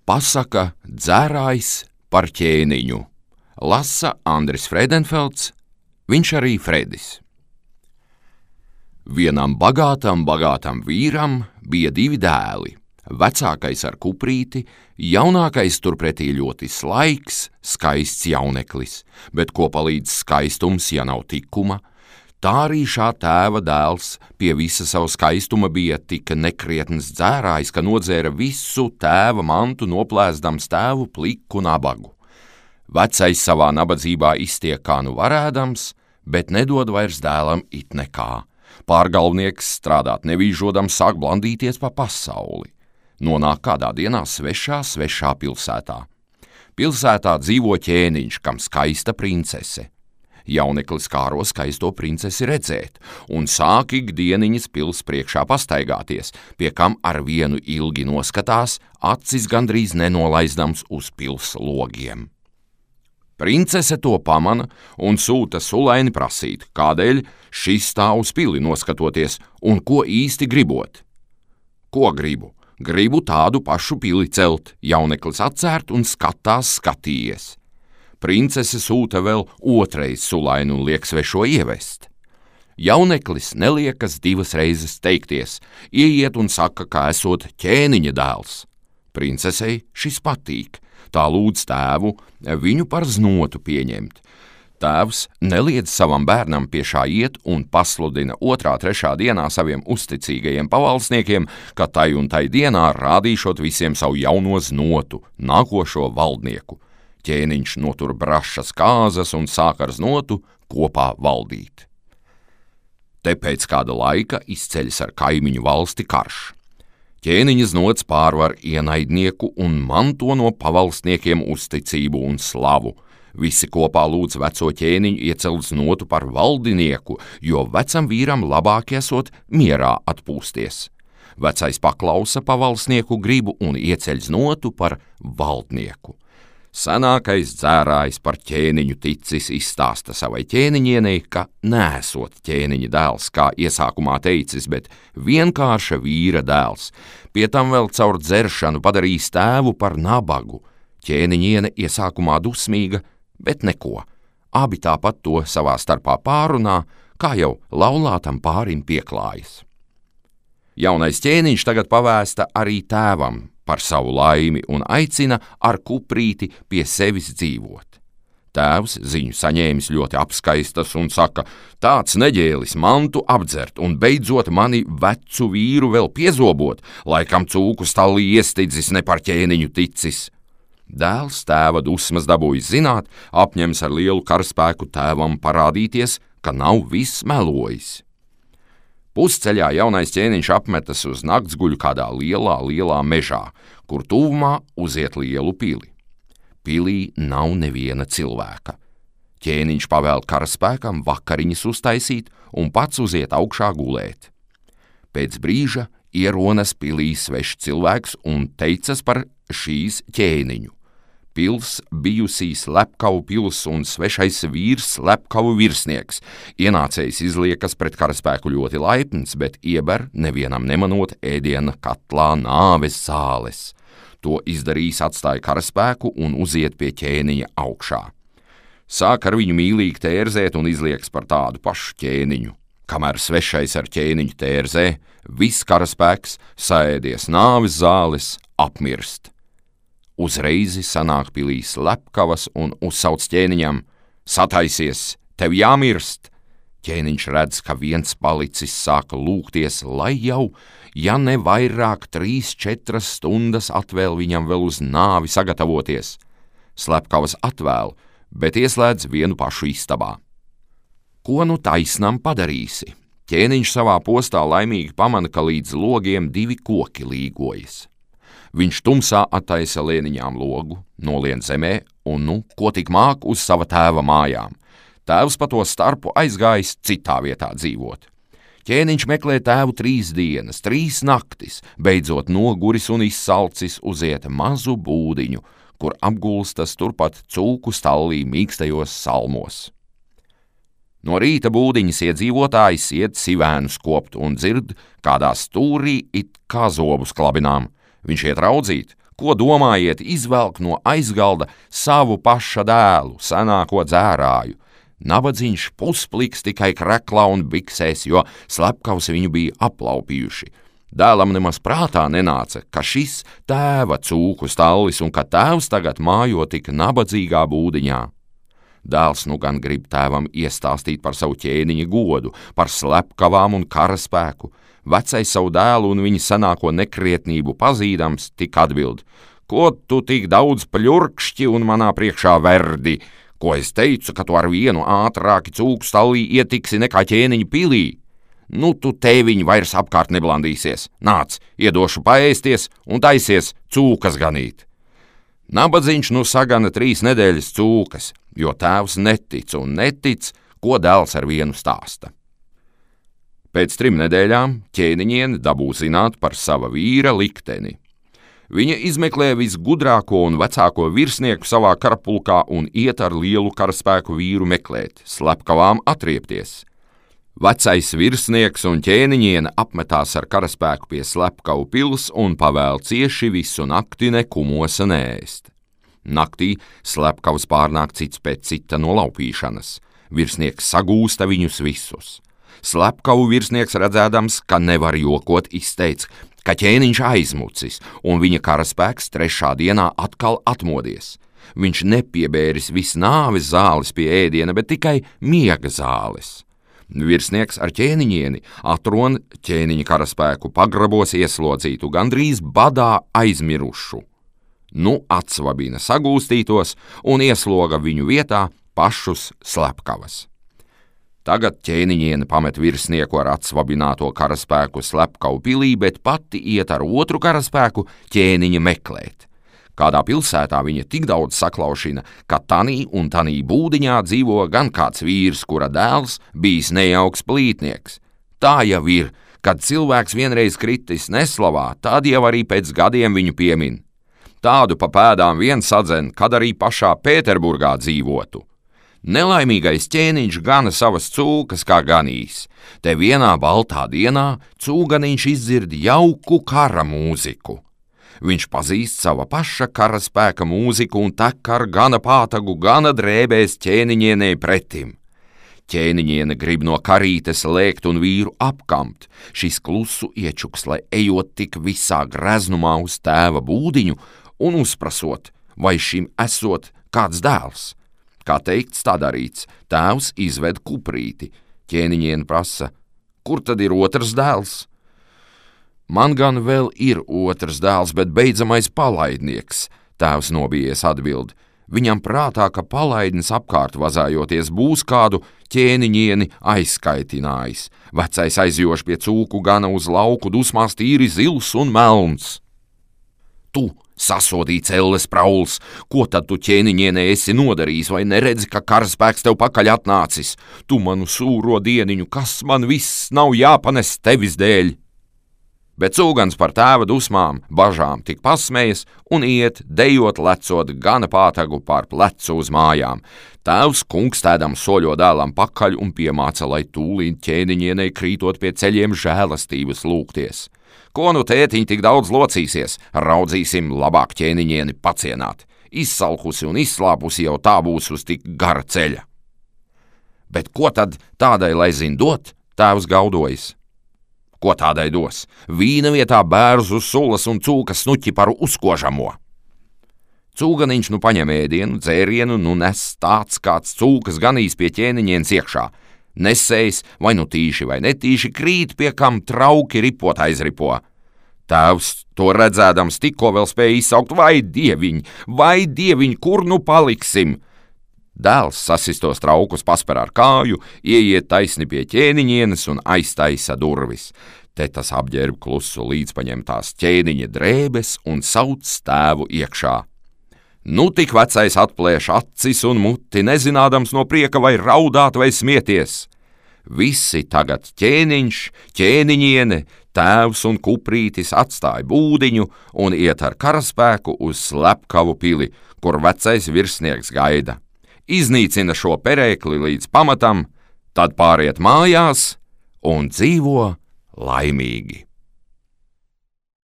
Pasaka dzērājs par ķēniņu. Lasa Andris Friedenfelds, viņš arī Fredis. Vienam bagātam vīram bija 2 dēli. Vecākais ar kuprīti, jaunākais turpretī ļoti slaiks, skaists jauneklis, bet ko palīdz skaistums, ja nav tikuma? Tā arī šā tēva dēls pie visa savu skaistuma bija tik nekrietns dzērājs, ka nodzēra visu tēva mantu, noplēsdams tēvu pliku nabagu. Vecais savā nabadzībā iztiek kā nu varēdams, bet nedod vairs dēlam it nekā. Pārgalvnieks strādāt nevīžodams sāk blandīties pa pasauli. Nonāk kādā dienā svešā pilsētā. Pilsētā dzīvo ķēniņš, kam skaista princese. Jauneklis kāro skaisto princesi redzēt, un sāk ikdieniņas pils priekšā pastaigāties, pie kam ar vienu ilgi noskatās, acis gandrīz nenolaizdams uz pils logiem. Princese to pamana un sūta sulaini prasīt, kādēļ šis stāv uz pili noskatoties un ko īsti gribot. Ko gribu? Gribu tādu pašu pili celt, jauneklis atcērt un skatījies. Princese sūta vēl otrais sulaini un liek svešo ievest. Jauneklis neliekas 2 reizes teikties, ieiet un saka, ka esot ķēniņa dēls. Princesei šis patīk, tā lūdz tēvu viņu par znotu pieņemt. Tēvs neliedz savam bērnam pie šā iet un pasludina 2.–3. dienā saviem uzticīgajiem pavalsniekiem, ka tai un tai dienā rādīšot visiem savu jauno znotu, nākošo valdnieku. Ķēniņš notur brašas kāzas un sāk ar znotu kopā valdīt. Te pēc kāda laika izceļas ar kaimiņu valsti karš. Ķēniņa znots pārvar ienaidnieku un manto no pavalsniekiem uzticību un slavu. Visi kopā lūdz veco ķēniņu iecelt znotu par valdinieku, jo vecam vīram labāk esot mierā atpūsties. Vecais paklausa pavalsnieku gribu un ieceļ znotu par valdnieku. Senākais dzērājs par ķēniņu ticis izstāsta savai ķēniņienei, ka neesot ķēniņa dēls, kā iesākumā teicis, bet vienkārša vīra dēls. Pie tam vēl caur dzeršanu padarījis tēvu par nabagu. Ķēniņiene iesākumā dusmīga, bet neko. Abi tāpat to savā starpā pārunā, kā jau laulātam pārim pieklājas. Jaunais ķēniņš tagad pavēsta arī tēvam par savu laimi un aicina ar kuprīti pie sevis dzīvot. Tēvs ziņu saņēmis ļoti apskaistas un saka, tāds neģēlis mantu apdzert un beidzot mani vecu vīru vēl piezobot, laikam cūku stallī iestidzis ne par ķēniņu ticis. Dēls tēva dusmas dabūjis zināt, apņems ar lielu karaspēku tēvam parādīties, ka nav viss melojis. Pusceļā jaunais ķēniņš apmetas uz naktsguļu kādā lielā mežā, kur tuvumā uziet lielu pili. Pilī nav neviena cilvēka. Ķēniņš pavēl karaspēkam vakariņas uztaisīt un pats uziet augšā gulēt. Pēc brīža ieronas pilī svešs cilvēks un teicas par šīs ķēniņu. Pils bijusī slepkavu pils un svešais vīrs slepkavu virsnieks. Ienācējs izliekas pret karaspēku ļoti laipns, bet ieber nevienam nemanot ēdiena katlā nāves zāles. To izdarījis atstāja karaspēku un uziet pie ķēniņa augšā. Sāk ar viņu mīlīgi tērzēt un izlieks par tādu pašu ķēniņu. Kamēr svešais ar ķēniņu tērzē, viss karaspēks, saēdies nāves zāles, apmirst. Uzreizi sanāk pilī slepkavas un uzsauc ķēniņam: sataisies, tev jāmirst! Ķēniņš redz, ka viens palicis sāka lūgties, lai jau, ja ne vairāk 3–4 stundas atvēl viņam vēl uz nāvi sagatavoties. Slepkavas atvēl, bet ieslēdz vienu pašu istabā. Ko nu taisnam padarīsi? Ķēniņš savā postā laimīgi pamana, ka līdz logiem 2 koki līgojas. Viņš tumsā attaisa lēniņām logu, nolien zemē un, ko tik māk, uz sava tēva mājām. Tēvs pa to starpu aizgājis citā vietā dzīvot. Ķēniņš meklē tēvu 3 dienas, 3 naktis, beidzot noguris un izsalcis uziet mazu būdiņu, kur apgulstas turpat cūku stallī mīkstajos salmos. No rīta būdiņas iedzīvotājs iet sivēnus kopt un dzird, kādā stūrī it kā zobus klabinām. Viņš iet raudzīt, Ko domājiet, izvelk no aizgalda savu paša dēlu, senāko dzērāju? Nabadzīņš puspliks tikai kreklā un biksēs, jo slepkavs viņu bija aplaupījuši. Dēlam nemaz prātā nenāca, ka šis tēva cūku stallis un ka tēvs tagad mājo tik nabadzīgā būdiņā. Dēls nu gan grib tēvam iestāstīt par savu ķēniņa godu, par slepkavām un karaspēku. Vecais savu dēlu un viņa senāko nekrietnību pazīdams, tik atbild: Ko tu tik daudz pļurkšķi un manā priekšā verdi? Ko es teicu, ka tu ar vienu ātrāki cūku stallī ietiksi nekā ķēniņa pilī? Nu, tu tēviņi vairs apkārt neblandīsies. Nāc, iedošu paēsties un taisies cūkas ganīt. Nabadzīņš nu sagana 3 nedēļas cūkas, jo tēvs netic un netic, ko dēls ar vienu stāsta. Pēc 3 nedēļām ķēniņiene dabū zināt par sava vīra likteni. Viņa izmeklē visgudrāko un vecāko virsnieku savā karapulkā un iet ar lielu karaspēku vīru meklēt, slepkavām atriepties. Vecais virsnieks un ķēniņiene apmetās ar karaspēku pie slepkavu pils un pavēl cieši visu nakti nekumosa neēst. Naktī slepkavs pārnāk cits pēc cita no laupīšanas. Virsnieks sagūsta viņus visus. Slepkavu virsnieks redzēdams, ka nevar jokot, izteica, ka ķēniņš aizmucis, un viņa karaspēks 3. dienā atkal atmodies. Viņš nepiebēris visnāves zāles pie ēdiena, bet tikai miega zāles. Virsnieks ar ķēniņieni atron ķēniņa karaspēku pagrabos ieslodzītu, gandrīz badā aizmirušu. Nu atsvabina sagūstītos un iesloga viņu vietā pašus slepkavas. Tagad ķēniņiene pamet virsnieku ar atsvabināto karaspēku slepkavu pilī, bet pati iet ar otru karaspēku ķēniņa meklēt. Kādā pilsētā viņa tik daudz saklaušina, ka tanī un tanī būdiņā dzīvo gan kāds vīrs, kura dēls bijis nejauks plītnieks. Tā jau ir, kad cilvēks vienreiz kritis neslavā, tad jau arī pēc gadiem viņu piemin. Tādu pa pēdām vien sadzen, kad arī pašā Pēterburgā dzīvotu. Nelaimīgais ķēniņš gana savas cūkas kā ganīs. Te vienā baltā dienā cūganiņš izdzird jauku kara mūziku. Viņš pazīst sava paša karaspēka mūziku un tek ar gana pātagu, gana drēbēs ķēniņienei pretim. Ķēniņiene grib no karītes lēkt un vīru apkamt. Šis klusu iečuks, lai ejot tik visā greznumā uz tēva būdiņu un uzprasot, vai šim esot kāds dēls. Kā teikts, tā darīts, tēvs izved kuprīti. Ķēniņiene prasa: Kur tad ir otrs dēls? Man gan vēl ir otrs dēls, bet beidzamais palaidnieks, tēvs nobijies atbild. Viņam prātā, ka palaidnis apkārt vazājoties būs kādu ķēniņieni aizskaitinājis. Vecais aizjoš pie cūku gana uz lauku, dusmās tīri zils un melns. Tu, sasodīts elles prauls, ko tad tu ķēniņienei esi nodarījis, vai neredzi, ka karaspēks tev pakaļ atnācis? Tu manu sūro dieniņu, kas man viss nav jāpanes tevis dēļ? Bet cūgans par tēva dusmām, bažām tik pasmējas un iet, dejot lecot gana pātagu pār plecu uz mājām. Tēvs kungstēdam soļo dēlam pakaļ un piemāca, lai tūlīt ķēniņienei krītot pie ceļiem žēlastības lūgties. Ko nu tētiņ tik daudz locīsies, raudzīsim labāk ķēniņieni pacienāt. Izsalkusi un izslāpusi jau tā būs uz tik gara ceļa. Bet ko tad tādai lai zin dot, tēvs gaudojas? Ko tādai dos? Vīna vietā bērzu sulas un cūkas snuķi par uzkožamo. Cūganiņš nu paņem ēdienu, dzērienu, nu nes tāds kāds cūkas ganīs pie ķēniņienes iekšā. Nesējs, vai nu tīši vai netīši, krīt pie kam trauki ripot aizripo. Tēvs to redzēdams tikko vēl spēja izsaukt: vai dieviņ, kur nu paliksim? Dēls sasistos traukus pasper ar kāju, ieiet taisni pie ķēniņienes un aiztaisa durvis. Te tas apģērb klusu līdz paņem tās ķēniņa drēbes un sauc tēvu iekšā. Nu tik vecais atplēš acis un muti, nezinādams no prieka vai raudāt vai smieties. Visi tagad ķēniņš, ķēniņiene, tēvs un kuprītis atstāja būdiņu un iet ar karaspēku uz slepkavu pili, kur vecais virsnieks gaida. Iznīcina šo perēkli līdz pamatam, tad pāriet mājās un dzīvo laimīgi.